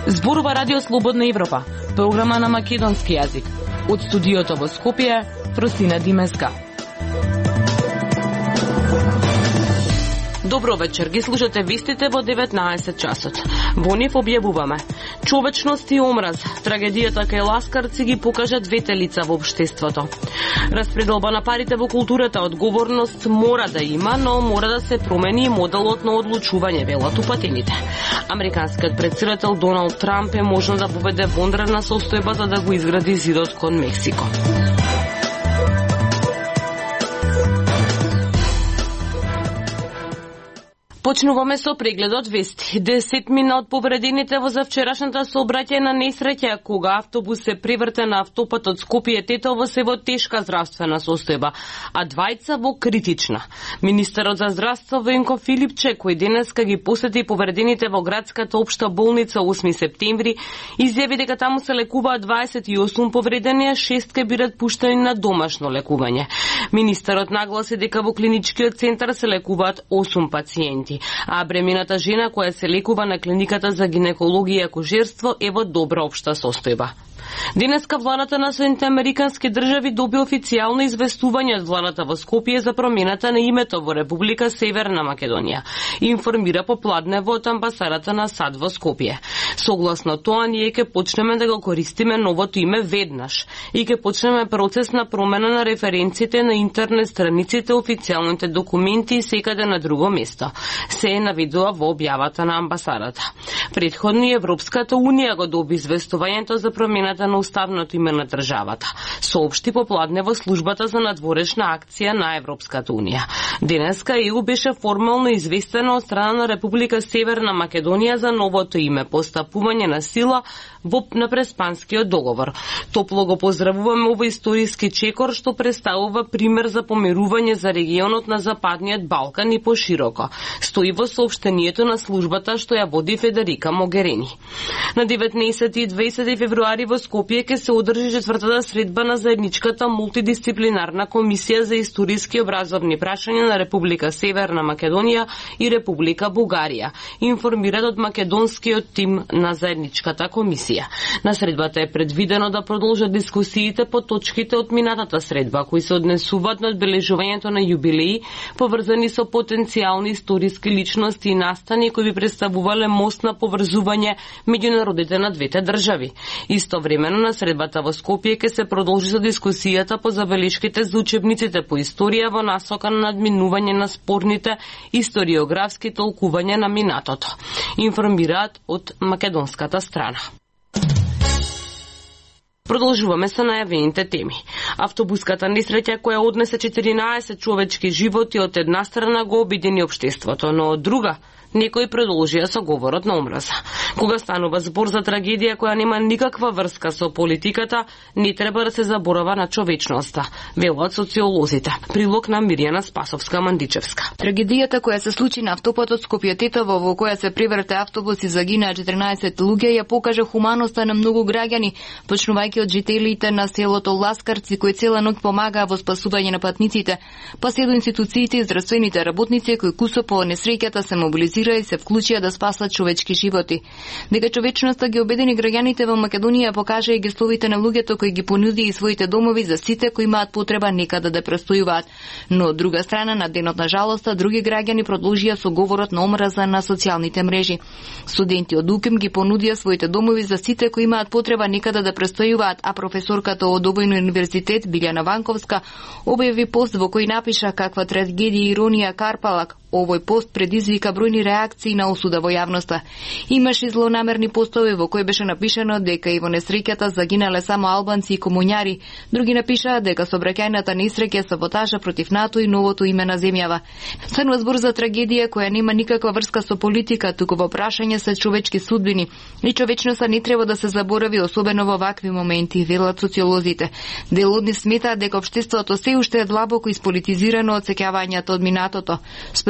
Зборува Радио Слободна Европа, програма на македонски јазик. Од студиото во Скопје, Фросина Димеска. Добро вечер, ги слушате вестите во 19 часот. Во нив објавуваме: човечност и омраз, трагедијата кај ласкарци ги покажа двете лица во општеството. Распределба на парите во културата, одговорност мора да има, но мора да се промени моделот на одлучување, велат упатените. Американскиот претседател Доналд Трамп е можно да поведе вонредна состојба за да го изгради зидот кон Мексико. Почнуваме со прегледот вести. 10 мина од повредените во завчерашната сообраќајна несреќа кога автобус се преврте на автопатот Скопје-Тетово се во тешка здравствена состојба, а двајца во критична. Министерот за здравство Венко Филипче, кој денеска ги посети повредените во градската општа болница 8 септември, изјави дека таму се лекуваат 28 повредени, а 6 ке бидат пуштени на домашно лекување. Министерот нагласи дека во клиничкиот центар се лекуваат 8 пациенти, а бремената жена која се лекува на клиниката за гинекологија и акушерство е во добра општа состојба. Денеска владата на Соединетите Американски држави доби официјално известување од владата во Скопје за промената на името во Република Северна Македонија, информира попладнево од амбасадата на САД во Скопје. Согласно тоа, ние ќе почнеме да го користиме новото име веднаш и ќе почнеме процес на промена на референците на интернет страниците, официјалните документи и секаде на друго место. Се навидува во објавата на амбасадата. Претходно Европската Унија го доби известувањето за промената на уставното име на државата, соопшти попладне во службата за надворешна акција на Европската Унија. Денеска ЕУ беше формално известена од страна на Република Северна Македонија за новото име, постапување на сила на Преспанскиот договор. Топло го поздравуваме овој историски чекор што представува пример за помирување за регионот на Западниот Балкан и пошироко, стои во соопштението на службата што ја води Федерика Могерини. На 19 и 20 февруари во Скопје ќе се одржи четвртата средба на заедничката мултидисциплинарна комисија за историски образовни прашања на Република Северна Македонија и Република Бугарија, информираат од македонскиот тим на заедничката комисија. На средбата е предвидено да продолжат дискусиите по точките од минатата средба, кои се однесуваат на одбележувањето на јубилеи, поврзани со потенцијални историски личности и настани кои би представувале мост на поврзување меѓу народите на двете држави. Истовремено на средбата во Скопје ќе се продолжи со дискусијата по забелешките за учебниците по историја во насока на надминување на спорните историографски толкувања на минатото, информираат од македонската страна. Продолжуваме со најавените теми. Автобуската несреќа која однесе 14 човечки животи од една страна го обедини општеството, но од друга некои продолжија со говорот на омраза. Кога станува збор за трагедија која нема никаква врска со политиката, не треба да се заборава на човечноста, велат социолозите. Прилог на Мирјана Спасовска-Мандичевска. Трагедијата која се случи на автопатот Скопје-Тетово, во која се преврте автобус и загинаа 14 луѓе, ја покажа хуманоста на многу граѓани, почнувајќи од жителите на селото Ласкарци, кои цела ноќ помагаа во спасување на патниците, па се до институциите и здравствените работници кои кусо по несреќата се мобилизираа и се вклучија да спасат човечки животи. Дека човечноста ги обедини граѓаните во Македонија покажа и гестовите на луѓето кои ги понуди и своите домови за сите кои имаат потреба некаде да престојуваат. Но од друга страна, на денот на жалоста, други граѓани продолжија со говорот на омраза на социјалните мрежи. Студенти од УКИМ ги понудија своите домови за сите кои имаат потреба некаде да престојуваат, а професорката од Обојни универзитет Билјана Ванковска објави пост во кој напиша каква трагедија и иронија карпалак. Овој пост предизвика бројни реакции на осуда во јавноста. Имаше злонамерни постови во кои беше напишано дека и во несреќата загинале само албанци и комуњари. Други напишаа дека сообраќајната несреќа е саботажа против НАТО и новото име на земјава. Станува збор за трагедија која нема никаква врска со политика, туку во прашање се човечки судбини. И човечноста не треба да се заборави, особено во вакви моменти, велат социолозите. Дел од нив сметаат дека општеството се уште е длабоко исполитизирано од сеќавањата од минатото.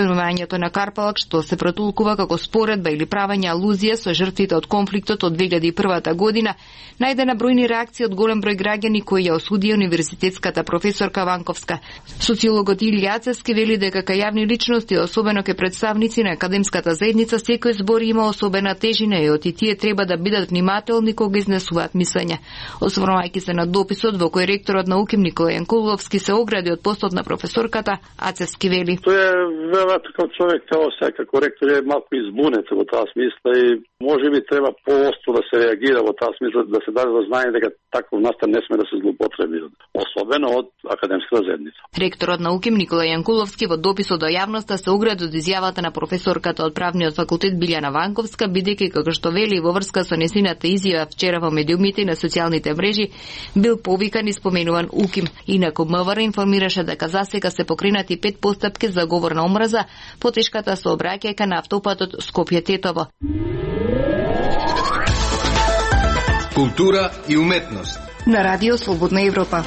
Филмувањето на Карпалак, што се протулкува како споредба или правење алузија со жртвите од конфликтот од 2001 година, најде на бројни реакции од голем број граѓани кои ја осудија универзитетската професорка Ванковска. Социологот Илија Ацевски вели дека кај јавни личности, особено кај представници на академската заедница, секој збор има особена тежина и оти тие треба да бидат внимателни кога изнесуваат мислење. Осврнувајќи се на дописот во кој ректорот на УКИМ Никола Јанкуловски се огради од постот на професорката, Ацевски вели: Тој е веројатно како човек, како секако ректор, е малку избунет во таа смисла и можеби треба поостро да се реагира во таа смисла, да се даде до знаење дека таков настан не сме да се злоупотреби, особено од академската заедница. Ректорот на УКИМ Никола Јанкуловски во дописот до јавноста се огради од изјавата на професорката од правниот факултет Билјана Ванковска, бидејќи како што вели во врска со несината изјава вчера во медиумите и на социјалните мрежи бил повикан и споменуван УКИМ. Инаку МВР информираше дека засега се покренати 5 постапки за говор на омраза по тешката сообраќајка на автопатот Скопје-Тетово. Култура и уметност На Радио Слободна Европа.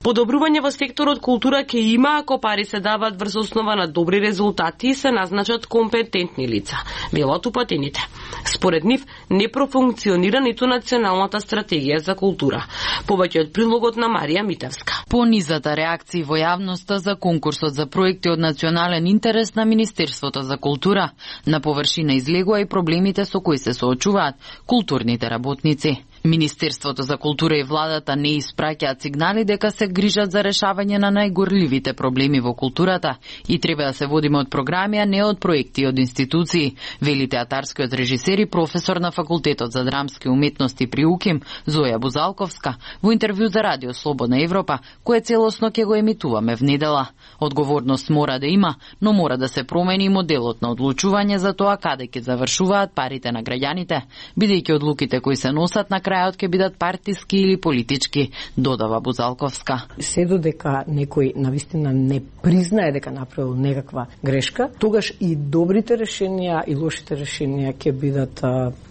Подобрување во секторот култура ќе има ако пари се дават врз основа на добри резултати и се назначат компетентни лица, велат упатените. Според нив не профункционира ниту националната стратегија за култура. Повеќе од прилогот на Марија Митевска. По низата реакции во јавноста за конкурсот за проекти од национален интерес на Министерството за култура, на површина излегува и проблемите со кои се соочуваат културните работници. Министерството за култура и владата не испраќаат сигнали дека се грижат за решавање на најгорливите проблеми во културата и треба да се водиме од програми, а не од проекти и од институции, вели театарскиот режисер и професор на Факултетот за драмски уметности при УКИМ Зоја Бузалковска во интервју за Радио Слободна Европа, кое целосно ќе го емитуваме внедела. Одговорност мора да има, но мора да се промени моделот на одлучување за тоа каде ќе завршуваат парите на граѓаните, бидејќи одлуките кои се носат на крајот ќе бидат партиски или политички, додава Бузалковска. Се додека некој навистина не признае дека направил некаква грешка, тогаш и добрите решенија и лошите решенија ќе бидат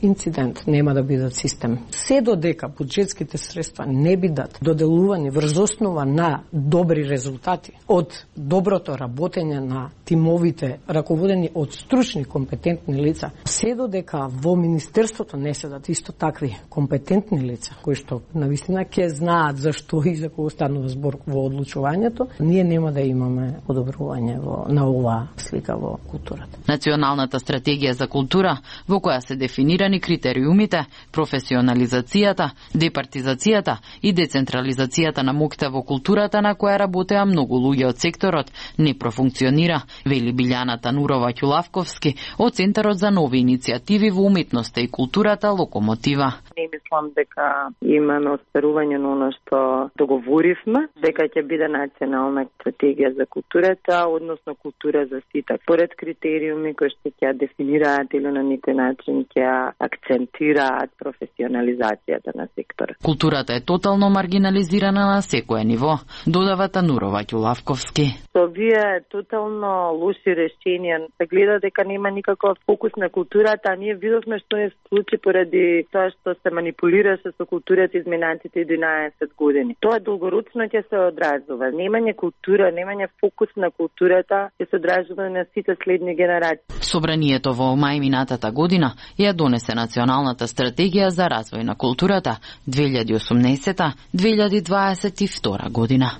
инцидент, нема да бидат систем. Се додека буџетските средства не бидат доделувани врз основа на добри резултати од доброто работење на тимовите раководени од стручни компетентни лица, се додека во министерството не седат исто такви компетентни лица кои што навистина ќе знаат зашто и за кого станува збор во одлучувањето, ние нема да имаме подобрување на оваа слика во културата. Националната стратегија за култура, во која се дефинирани критериумите, професионализацијата, департизацијата и децентрализацијата на моќта во културата, на која работеа многу луѓе од секторот, не профункционира, вели Билјана Танурова Ќулавковски од Центарот за нови иницијативи во уметноста и културата Локомотива. Не мислам дека имаме остварување на оно што договоривме, дека ќе биде национална стратегија за културата, односно култура за сите. Поред критериуми кои што ќе дефинираат или на некој начин ќе акцентираат професионализацијата на секторот. Културата е тотално маргинализирана на секое ниво, додава Танурова Ќулавковски. Со овие тотално лоши решенија се гледа дека нема никаков фокус на културата, а ние видовме што се случи поради тоа што се манипулираше со културата изминатите 11 години. Тоа долгорочно ќе се одразува. Немање култура, немање фокус на културата ќе се одразува на сите следни генерации. Собранието во мај минатата година ја донесе Националната стратегија за развој на културата 2018-2022 година.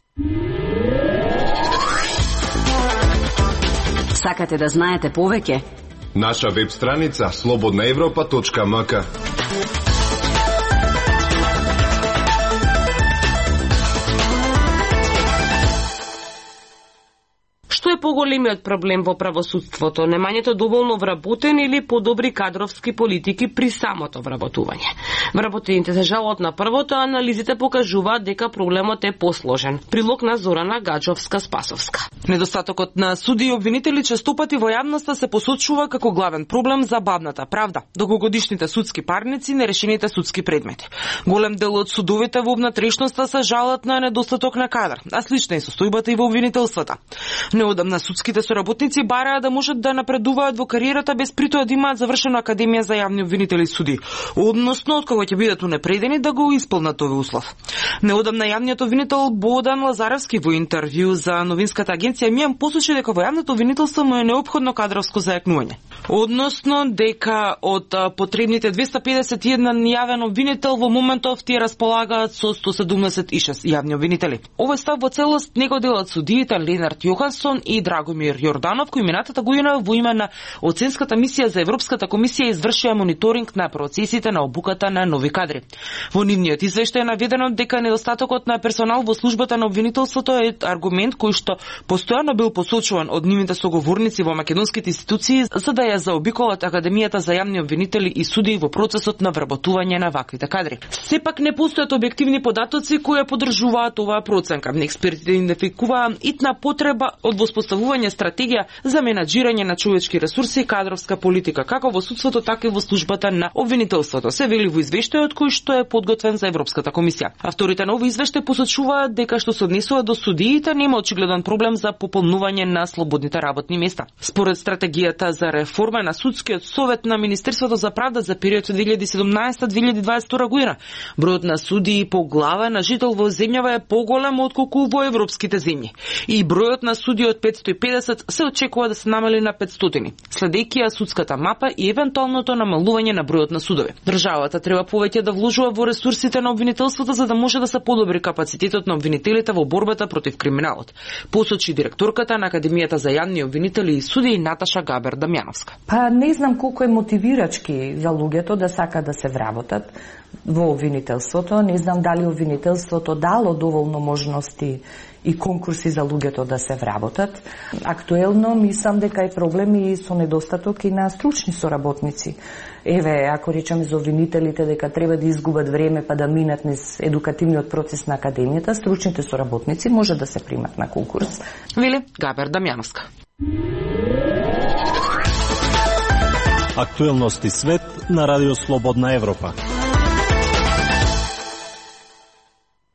Сакате да знаете повеќе? Наша веб страница slobodnaevropa.mk. Што е поголемиот проблем во правосудството? Немањето доволно вработени или подобри кадровски политики при самото вработување? Вработените се жалат на првото, анализите покажуваат дека проблемот е посложен. Прилог на Зорана Гаджовска-Спасовска. Недостатокот на суди и обвинители честопати во јавноста се посочува како главен проблем за бавната правда, долгогодишните судски парници, нерешените судски предмети. Голем дел од судовите во внатрешноста се жалат на недостаток на кадар, а слична е состојбата и во обвинителствата. Неодамна судските соработници бараа да можат да напредуваат во кариерата без притоа да имаат завршена академија за јавни обвинители суди. Односно, откога кога ќе бидат унапредени да го исполнат овој услов. Неодамна јавниот обвинител Бодан Лазаревски во интервју за новинската агенција Мијан посочи дека во јавното обвинителство му е неопходно кадровско зајакнување. Односно дека од потребните 251 јавен обвинител во моментов тие располагаат со 176 јавни обвинители. Овој став во целост не го делат судиите Ленард Јохансон и Драгомир Јорданов, кои минатата година во име на оценската мисија за Европската комисија извршија мониторинг на процесите на обуката на нови кадри. Во нивниот извештај е наведено дека недостатокот на персонал во службата на обвинителството е аргумент кој што постојано бил посочуван од нивните соговорници во македонските институции за да ја заобиколат Академијата за јавни обвинители и судии во процесот на вработување на ваквите кадри. Сепак не постојат објективни податоци кои подржуваат оваа проценка. Експертите идентификуваа итна потреба од воспоставување стратегија за менаџирање на човечки ресурси и кадровска политика, како во судството, така и во службата на обвинителството, се вели во извештајот кој што е подготвен за Европската комисија. Авторите на овој извештај посочуваат дека што се однесува до судиите нема очигледен проблем за пополнување на слободните работни места. Според стратегијата за реформа на судскиот совет на Министерството за правда за период 2017-2022 година, бројот на судии по глава на жител во земјава е поголем отколку во европските земји. И бројот на судии од 550 се очекува да се намали на 500, следејќи ја судската мапа и евентуалното намалување на бројот на судови. Државата треба повеќе да вложува во ресурсите на обвинителството за да може да се подобри капацитетот на обвинителите во борбата против криминалот, посочи директорката на Академијата за јавни обвинители и судии Наташа Габер Дамјановска. Па не знам колку е мотивирачки за луѓето да сака да се вработат во обвинителството. Не знам дали обвинителството дало доволно можности и конкурси за луѓето да се вработат. Актуелно мислам дека е проблем и со недостаток и на стручни соработници. Еве, ако речеме за обвинителите дека треба да изгубат време па да минат низ едукативниот процес на академијата, стручните соработници може да се примат на конкурс. Вели Габер Дамјановска. Актуелности свет на Радио Слободна Европа.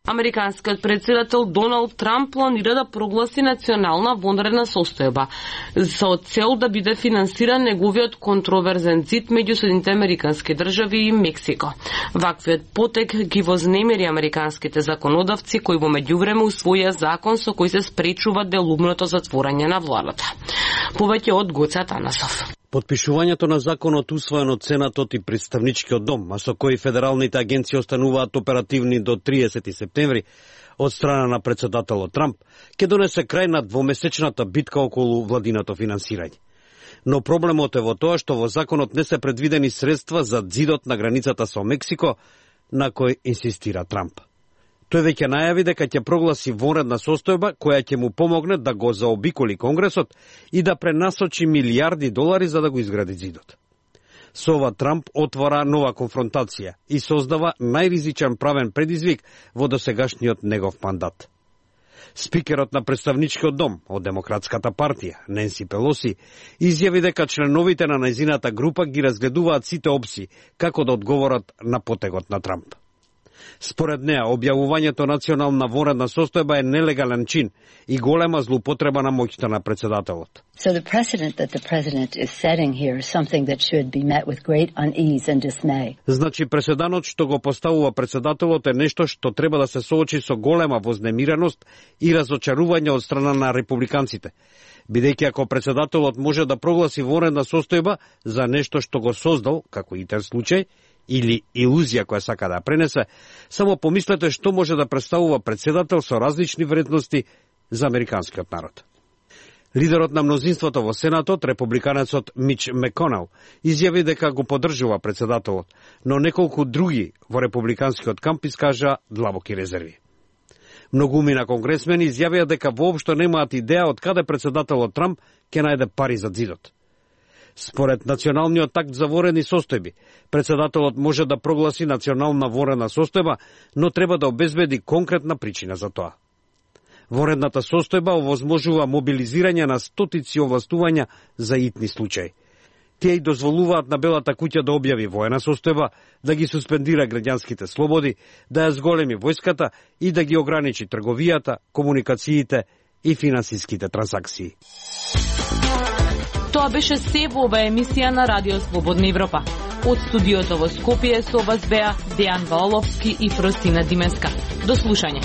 Американскиот председател Доналд Трамп планира да прогласи национална вонредна состојба со цел да биде финансиран неговиот контроверзен цит меѓу Соединетите Американски држави и Мексико. Ваквиот потек ги вознемири американските законодавци кои во меѓувреме усвоија закон со кој се спречува делумното затворање на владата. Повеќе од Гоце Атанасов. Подпишувањето на законот усвоен од Сенатот и Представничкиот дом, а со кој федералните агенции остануваат оперативни до 30 септември од страна на председателот Трамп, ќе донесе крај на двомесечната битка околу владиното финансирање. Но проблемот е во тоа што во законот не се предвидени средства за ѕидот на границата со Мексико, на кој инсистира Трамп. Тој веќе најави дека ќе прогласи вонредна состојба која ќе му помогне да го заобиколи Конгресот и да пренасочи милијарди долари за да го изгради ѕидот. Со ова Трамп отвора нова конфронтација и создава најризичен правен предизвик во досегашниот негов мандат. Спикерот на Представничкиот дом од Демократската партија, Ненси Пелоси, изјави дека членовите на нејзината група ги разгледуваат сите опции како да одговорат на потегот на Трамп. Според неа, објавувањето национална вонредна состојба е нелегален чин и голема злоупотреба на моќта на председателот. So the precedent that the president is setting here is something that should be met with great unease and dismay. Значи преседанот што го поставува председателот е нешто што треба да се соочи со голема вознемиреност и разочарување од страна на републиканците. Бидејќи ако председателот може да прогласи вонредна состојба за нешто што го создал, како итер случај, или илузија која сака да пренесе, само помислете што може да представува председател со различни вредности за американскиот народ. Лидерот на мнозинството во Сенатот, републиканецот Мич Маконел, изјави дека го поддржува председателот, но неколку други во републиканскиот камп искажа длабоки резерви. Многуми на конгресмени изјавија дека воопшто немаат идеја од каде председателот Трамп ќе најде пари за ѕидот. Според националниот акт за вонредни состојби, председателот може да прогласи национална вонредна состојба, но треба да обезбеди конкретна причина за тоа. Вонредната состојба овозможува мобилизирање на стотици овластувања за итни случаи. Тие и дозволуваат на Белата куќа да објави воена состојба, да ги суспендира граѓанските слободи, да ја зголеми војската и да ги ограничи трговијата, комуникациите и финансиските трансакции. Тоа беше се во оваа емисија на Радио Слободна Европа. Од студиото во Скопје со вас беа Дејан Ваоловски и Фростина Димеска. До слушање.